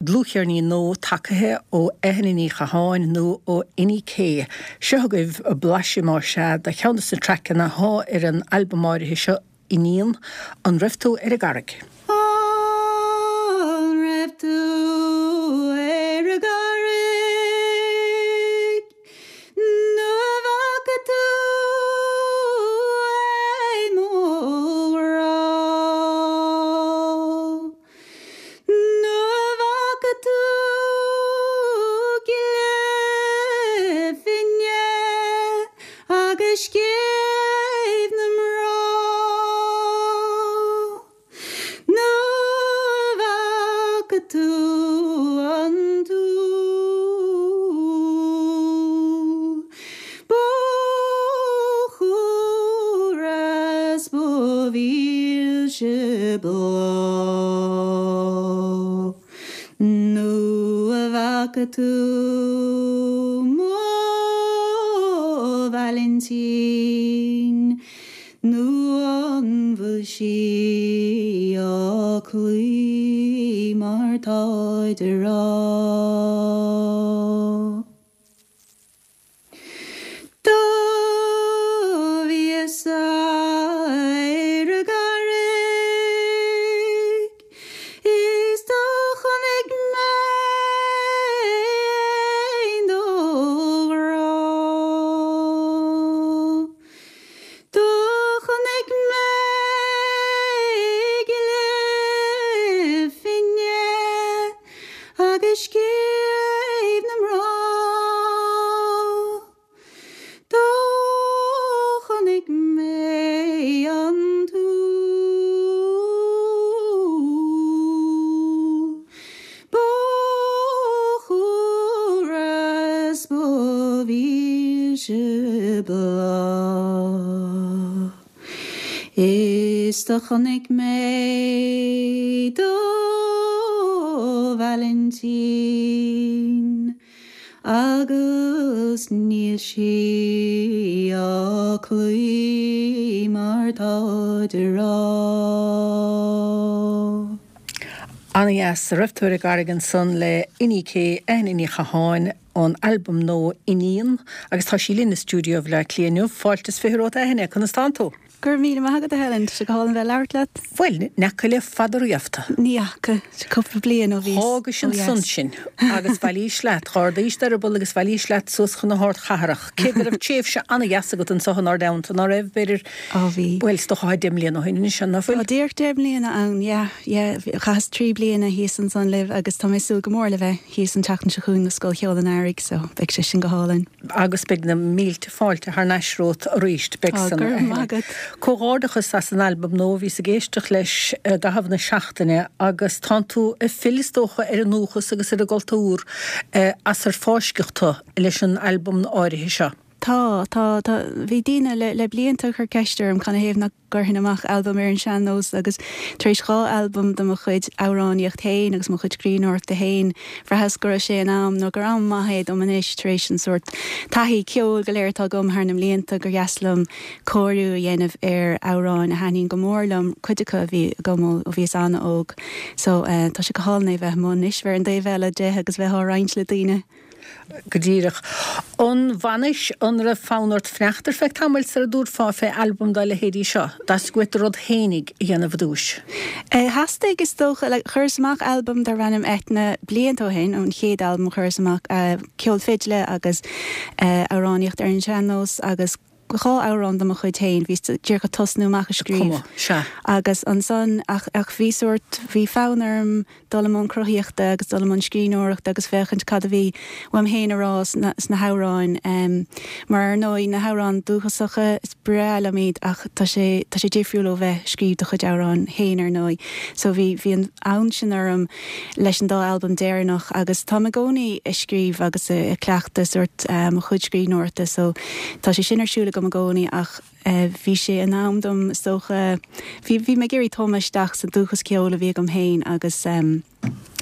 Dlúthcheirnín nua tagaithe ó Eithne Ní Chatháin nó ó Inni K. Seo agaibh blaiseadh más ea de cheann de na traiceanna athá ar an albam áirithe seo, Iníon, An raibh tú ar an gCarraig? An raibh tú ar an gCarraig? Nó an bhfaca tú é mo ghrá? Nó an bhfaca tú gile finne agus scéimh na mná? Nó an bhfaca tú an t-úll Ba chumhra 's ba mhilse bláth Nó an bhfaca tú mo Vailintín Nó an bhfuil sí á cloí mar táid a rá? Do bhíos-sa ar an gCarraig is do chonaic mé éan do ghrá. Do chonaic mé gile finne agus scéimh na mná. Do chonaic mé an t-úll Ba chumhra 's ba mhilse bláth Is do chonaic mé do Vailintín Agus níl sí á cloí mar táid a rá. Ana-dheas. An raibh tú ar an gCarraig ansan le Inni K, Eithne Ní Chatháin, ón albam nua Iníon agus tá sí linn i stiúideo Bhaile Átha Cliath inniu. Fáilte is 20 romhat a Eithne, conas tánn tú? Go raibh míle maith agat a Helen, tá sé go hálainn bheith ag labhairt leat. Bhuel, n'fheaca le fada riamh tú. Ní fhaca, sé cúpla bliain ó bhíos ó D'fhágais ansan dheas. sinn agus bhailís leat, dh'ardaís d'eireaball agus bhailís leat suas chun na hardchathrach. Cé go raibh tréimhse ana-dheas agat anso inár dteannta, ná raibh, b'fhéidir, Á bhí. Bhuel, is dócha tá 10 mbliana ó shin anois, an ná fuil? Tá díreach 10 mbliana ann, yeah, yeah. Chaitheas 3 bliana thíos ansan libh agus tá mé ag súil go mór le bheith thíos an tseachtain seo chugainn do Scoil Cheoil an Earraigh, so beidh sé sin go hálainn. Agus beidh na mílte fáilte thar n-ais romhat arís, beidh Á, san, go a raibh maith Eithne. agat. Comhghairdeachas as an albam nua, bhíos ag éisteacht leis i gcaitheamh na seachtaine agus tánn tú ag filleadh is dócha ar an ndúchas agus ar an gcultúr as ar fáisceadh tú leis an albam áirithe seo. Tá, tá, tá. Bhí daoine le, le blianta ag cur ceist orm canathaobh nach gcuirfinn amach albam ar an sean-nós agus tar éis 2 albam de mo chuid amhránaíocht féin agus mo chuid scríbhneoireachta féin, bhraitheas go raibh sé in am, nó gur am maith é dom anois tar éis an sórt taithí ceoil go léir atá agam thar na mblianta, gur dheas liom cóiriú a dhéanamh ar amhráin a thaitníonn go mór liom, cuid acu a bhí agam ó bhíos an-óg. So, tá sé go hálainn é bheith amuigh anois, bheith ar an dtaobh eile de agus bheith á roinnt le daoine. Go díreach. An bhfanais, an raibh fonn ort fanacht ar feadh tamaill sara dtabharfá fé albam dá leithéidí seo? Theastaigh uait do rud fhéinig a dhéanamh i dtúis? Theastaigh, is dócha. Like, chuireas amach albam darb ainm Eithne blianta ó shin, an chéad albam a chuireas amach, ceol fidle agus amhránaíocht ar an sean-nós agus 2 amhrán de mo chuid féin, bhíos díreach ag tosnú amach ag scríobh. Cuma, sea. Agus ansan, ach, ach bhí sórt, bhí fonn orm dul i mbun cruthaíochta agus dul i mbun scríbhneoireachta agus féachaint cad a bhí uaim féin a rá sna, sna hamhráin. Mar ar ndóigh, na hamhráin dúchasacha, is breá liom iad ach tá sé, tá sé difriúil ó bheith ag scríobh do chuid amhrán féin ar ndóigh. So bhí, bhí an fonn sin orm leis an dá albam deireanach agus táim i gcónaí ag scríobh agus ag cleachtadh sórt mo chuid scríbhneoireachta so tá sé sin ar siúl agam. agam i gcónaí ach bhí sé in am dom is dócha, bhí, bhí mé ag iarraidh tumadh isteach sa dúchas ceoil a bhí agam féin agus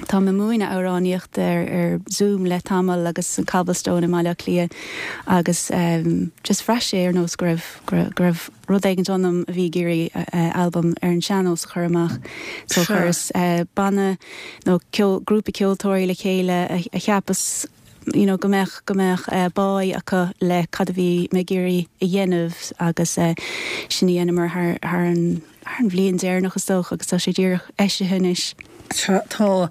táim ag múineadh amhránaíochta ar, ar Zoom le tamall agus san Cobblestone i mBaile Átha Cliath agus just bhraith sé ar nós go raibh, go raibh, go raibh rud éigint ionam a bhí ag iarraidh albam ar an sean-nós a chur amach. So chuireas banna nó ceol, grúpa ceoltóirí le chéile a cheapas you know go mbeadh, go mbeadh báidh acu le cad a bhí mé ag iarraidh a dhéanamh agus sin a dheineamar thar, thar an, thar an bhliain deireanach is dócha agus tá sé díreach eisithe anois. Sea, tá.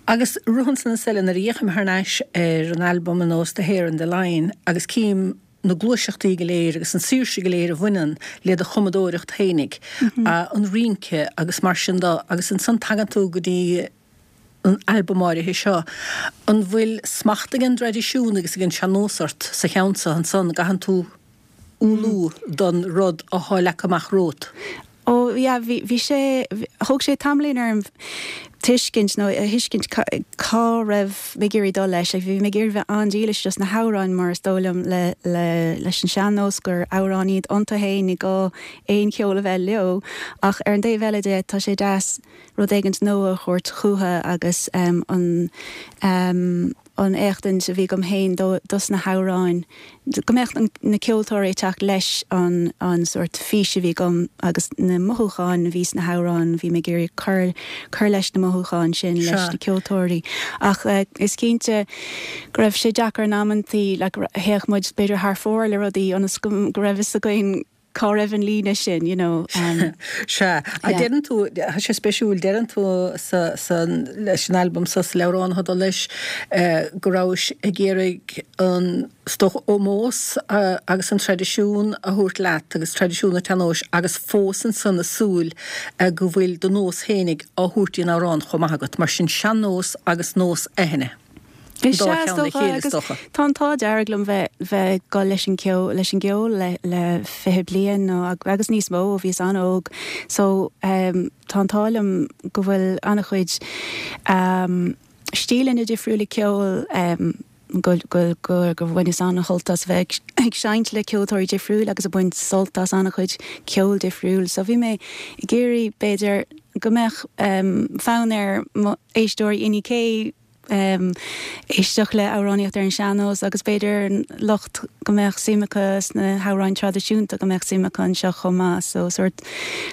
Agus rud ansan is eile, nuair a fhéachaim thar n-ais ar an albam ar nós The Hare and the Lion agus cím na gluaiseachtaí go léir agus an saoirse go léir a bhaineann le do chumadóireacht fhéinig, an rince agus mar sin de, agus ansan tagann tú go dtí an albam áirithe seo. An bhfuil smacht ag an dtraidisiún agus ag an sean-nós ort sa cheann seo ansan, an gcaitheann tú umhlú don rud athá leagtha amach romhat? Ó yeah, bhí, bhí sé, thóg sé tamaillín orm tuiscint nó a thuiscint cá raibh mé ag iarraidh dul leis. Like bhí mé ag iarraidh bheith an-dílis dos na hamhráin mar is dóigh liom le, le, leis an sean-nós gur amhráin iad iontu féin, ní gá aon cheol a bheith leo. Ach ar an dtaobh eile de, tá sé deas rud éigint nua a thabhairt chúthu agus an an éachtaint a bhí agam féin dos na hamhráin, go mbeadh na ceoltóirí ag teacht leis an an sórt fís a bhí agam agus na mothúcháin a bhí sna hamhráin, bhí mé ag iarraidh cur cur leis na mothúcháin sin leis na ceoltóirí. Ach is cinnte go raibh sé deacair in amantaí, like théadh muid b'fhéidir thar fóir le rudaí ionas go go raibh fhios againn cá raibh an líne sin, you know. Sea. Ach deireann tú, tá sé spéisiúil, deireann tú sa, sa, leis an albam seo, sa leabhrán atá ag dul leis, go rabhais ag iarraidh an, is dócha, ómós agus an traidisiún a thabhairt leat agus traidisiún an tsean-nóis agus fós ansan ag súil go bhfuil do nós fhéinig á thabhairt dtí an amhrán chomh maith agat. Mar sin sean-nós agus nós Eithne. Is ea, is dócha, agus tá an t-ádh dearg liom bheith bheith ag dul leis an gceol leis an gceol le le 20 bliain nó agus níos mó ó bhíos an-óg so tá an t-ádh liom go bhfuil an-chuid stíleanna difriúla ceoil go go go gur bhaineas an-shult as bheith ag seinnt le ceoltóirí difriúil agus ag baint sult as an-chuid ceol difriúil so bhí mé ag iarraidh b'fhéidir go mbeadh fonn ar mo éisteoirí Inni K éisteacht le amhránaíocht ar an sean-nós agus b'fhéidir lucht go mbeadh suim acu sna hamhráin traidisiúnta go mbeadh suim acu anseo chomh maith so sórt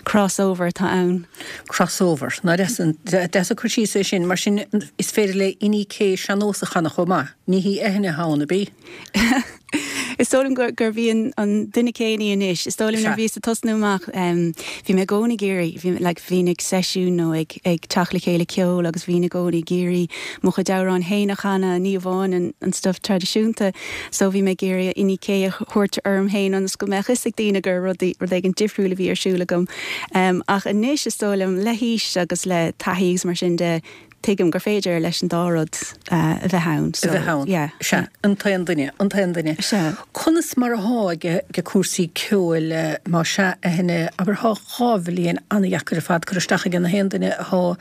crossover atá ann. Crossover. Ná deas an deas an cur síos é sin. Mar sin is féidir le Inni K sean-nós a chanadh chomh maith. Ní hí Eithne atá ann, ab í? Is dóigh liom gurb í an duine céanna í anois. Is dóigh liom nuair a bhíos ag tosnú amach, bhí mé i gcónaí ag iarraidh, bhí, like, bhínn ag seisiún nó ag, ag teacht le chéile ceoil agus bhínn i gcónaí ag iarraidh mo chuid amhrán féin a chanadh, ní amháin an, an stuff traidisiúnta. So bhí mé ag iarraidh Inni K a thabhairt orm féin ionas go mbeadh fhios ag daoine gur rud, rud éigin difriúil a bhí ar siúl agam. Ach anois is dóigh liom le haois agus le taithí agus mar sin de, tuigim gur féidir leis an dá rud a bheith ann. A bheith ann. Yeah. Sea, an t-aon duine, an t-aon duine. Sea. Conas mar athá ag cúrsaí ceoil, más ea, Eithne, abair thá 2 bhliain an-dheacair ar fad curtha isteach ag na haon duine athá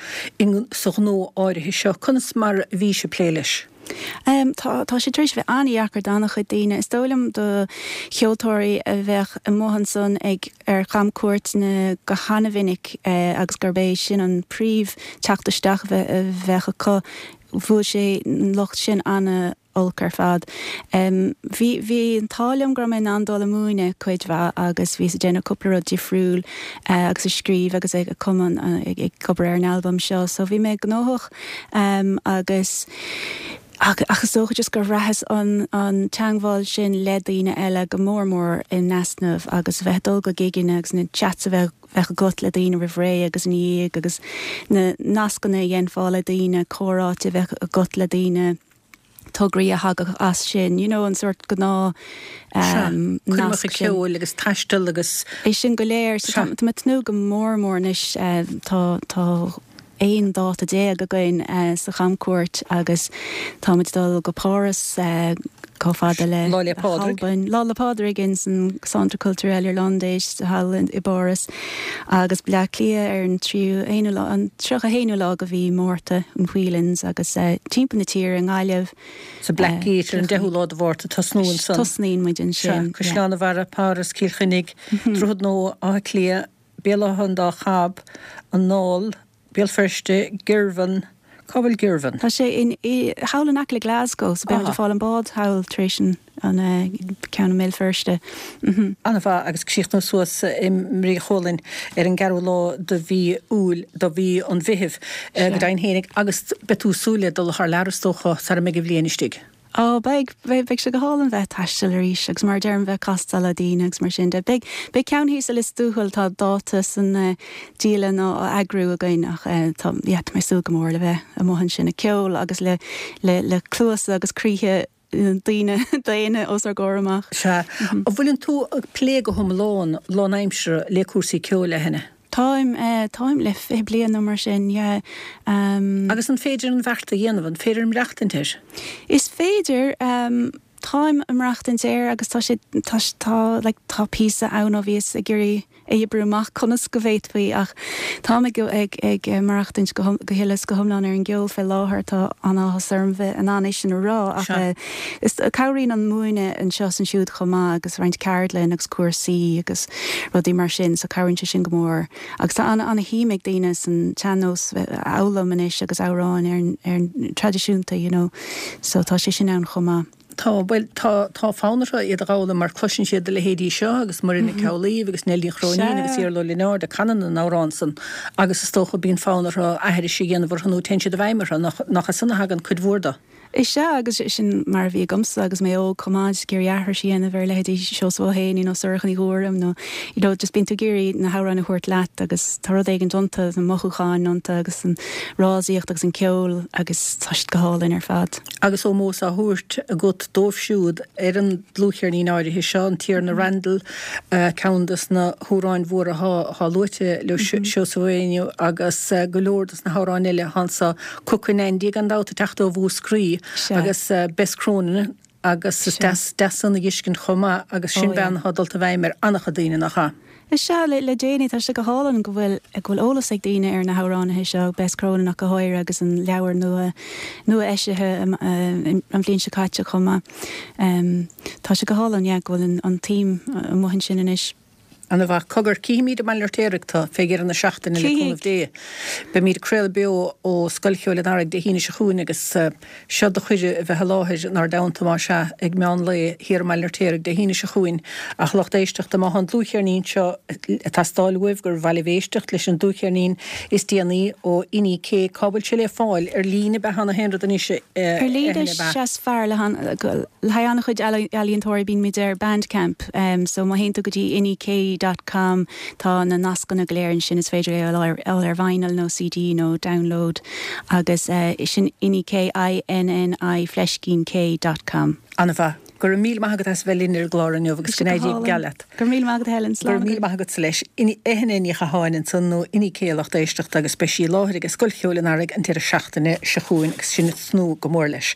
sa ghnó áirithe seo. Conas mar a bhís ag plé leis? Tá, tá sé tar éis a bheith an-dheacair d'an-chuid daoine. Is dóigh liom do cheoltóirí a bheadh amuigh ansan ag, ar chamcuairteanna go han-mhinic agus gurb é sin an príomh teacht isteach a bheadh acu, bhuail sé an lucht sin an-olc ar fad. Bhí, bhí an t-ádh liom go raibh mé in ann dul ag múineadh cuid mhaith agus bhíos ag déanamh cúpla rud difriúil agus ag scríobh agus ag cumadh, ag obair ar an albam seo so bhí mé gnóthach. Agus, ach, ach is dócha just gur bhraitheas an, an teangmháil sin le daoine eile go mór mór in easnamh agus a bheith ag dul go gigeanna agus na chats a bheadh, bheadh agat le daoine roimh ré agus ina dhiaidh agus na nascanna a dhéanfá le daoine, comhráite a bheadh agat le daoine. tograí a thagadh as sin, you know, an sórt gnáth Sea, nasc sin. ceoil agus taisteal agus. É sin go léir. So tá mé ag tnúth go mór mór anois, tá, tá 11 dáta againn sa chamcuairt agus táimid ag dul go Páras. Chomh fada le Lá 'le Pádraig. hAlbain. Lá 'le Pádraig in san Centre Culturel Irlandais thall i bPáras agus Bleá Cliath ar an tríú haonú lá, an 31 haonú lá de mhí Márta in Whelan's agus timpeall na tíre i nGaillimh. Sa Black Gate ar an 10ú lá de Mhárta, tosnú ansan. Tosnaíonn muid ansin. Sea, Caisleán an Bharraigh, Páras, Cill Chainnigh, Droichead Nua, Áth Cliath, Béal Átha an Dá Chab, An Dáil, Béal Feirste, Girvan, cá bhfuil Girvan? Tá sé in, thall in aice le Glasgow, so beidh muid ag fáil an bád thall tar éis an, an ceann i mBéal Feirste. An-mhaith, agus críochnú suas i mBrí Chualainn ar an gceathrú lá de mhí Iúil, de mhí an Mheithimh, go deimhin fhéinig, agus beidh tú ag súil le dul thar lear is dócha sara mbeidh an bhliain istigh. Ó, beidh, beidh, beidh sé go hálainn bheith ag taisteal arís agus mar a deirim bheith ag castáil le daoine agus mar sin de. Beidh, beidh ceann thíos i Lios Tuathail, tá dáta san dialann á eagrú againn ach tá, yeah, tá mé ag súil go mór le bheith amuigh ansin ag ceol agus le, le, le cluasa agus croíthe daoine, daonna os ár gcomhair amach. Sea. An bhfuileann tú ag plé go hiomlán, lánaimseartha le cúrsaí ceoil, a Eithne? Táim, táim le 20 bliain nó mar sin, yeah. Agus an féidir an bheart a dhéanamh, an féidir maireachtaint air? Is féidir, táim ag maireachtaint air agus tá sé, tá, tá, like, tá píosa ann ó bhíos ag iarraidh a oibriú amach conas go bhféadfaí ach táim ag, ag, ag maireachtaint go, go huile is go hiomlán ar an gceol fé láthair, tá an-áthas orm bheith in ann é sin a rá ach is, cabhraíonn an múineadh anseo is ansiúd chomh maith agus roinnt ceardlann agus cúrsaí agus rudaí mar sin so cabhraíonn sé sin go mór agus tá an-shuim ag daoine san tsean-nós a fhoghlaim anois agus amhráin ar an ar an traidisiúnta you know so tá sé sin ann chomh maith. Tá, bhuel, tá, tá fonn orthu iad a dh'fhoghlaim mar cloiseann siad a leithéidí seo agus Muireann Nic Amhlaoibh agus Nell Ní Chróinín agus Iarla Ó Lionáird ag canadh na n-amhrán san agus is dócha bíonn fonn orthu aithris a dhéanamh orthu nó téann siad i bhfeidhm orthu, nach, nach as san a thagann cuid mhór de. Is ea, agus sin mar a bhí agamsa agus mé óg chomh maith, just ag iarraidh aithris a dhéanamh ar leithéidí Seosamh Ó hÉanaí nó Sorcha Ní Ghuairim nó you know just bíonn tú ag iarraidh na hamhráin a thabhairt leat agus tá rud éigin iontu, na mothúcháin iontu agus an fhrásaíocht agus an ceol agus tá siad go hálainn ar fad. Agus ómós á thabhairt agat dóibh siúd ar an dlúthcheirnín áirithe seo, An Tiarna Randall, ceann de na hamhráin mhóra atá luaite le Seosamh Ó Éanaí agus go leor de na hamhráin eile atá anso, Cookin' Andy gan dabht ag teacht ó Mhúscraí agus Bess Cronin agus is deas deas san a dh'fheiscint chomh maith agus sin bean atá dulta i bhfeidhm ar an-chuid daoine, nach ea? Is ea, le déanaí tá sé go hálainn go bhfuil go bhfuil eolas ag daoine ar na hamhránaithe seo, Bess Cronin ach go háirithe agus an leabhar nua nua eisithe an bhliain seo caite chomh maith. Tá sé go hálainn, yeah, go bhfuil an tsuim amuigh ansin anois. Ana mhaith. Cogar, cífimíd i mBaile an Fheirtéaraigh tu fé dheireadh na seachtaine, le cúnamh Dé. Beimíd ag craoladh beo ó Scoil Cheoil an Earraigh Dé hAoine seo chugainn agus seo do chuireadh a bheith i láthair inár dteannta, más ea, ag meán lae thiar i mBaile an Fheirtéaraigh Dé hAoine seo chugainn. Ach lucht éisteachta, má tá an dlúthcheirnín seo ag teastáil uaibh, gur mhaith libh éisteacht leis an dlúthcheirnín is déanaí ó Inni K, cá bhfuil sé le fáil? Ar líne ab ea an t-aon rud anois, a Ar líne is ea is fearr le haghaidh an-chuid ealaíontóirí bíonn muid ar Bandcamp. So má théann tú go dtí innik dot com tá na nascanna go léir ansin, is féidir é a fháil ar vinyl nó CD nó download agus sin innik, I-N-N-I fleiscín K dot com. An-mhaith. Go raibh míle maith agat as a bheith linn ar an gclár inniu agus go n-éirí go geal leat. Go raibh míle maith agat Helen. Slán agat. Go raibh míle maith agatsa leis. Eithne Ní Chatháin ansan nó Inni K a lucht éisteachta agus beidh sí i láthair ag Scoil Cheoil an Earraigh an deireadh seachtaine seo chugainn agus sinn ag tnúth go mór leis.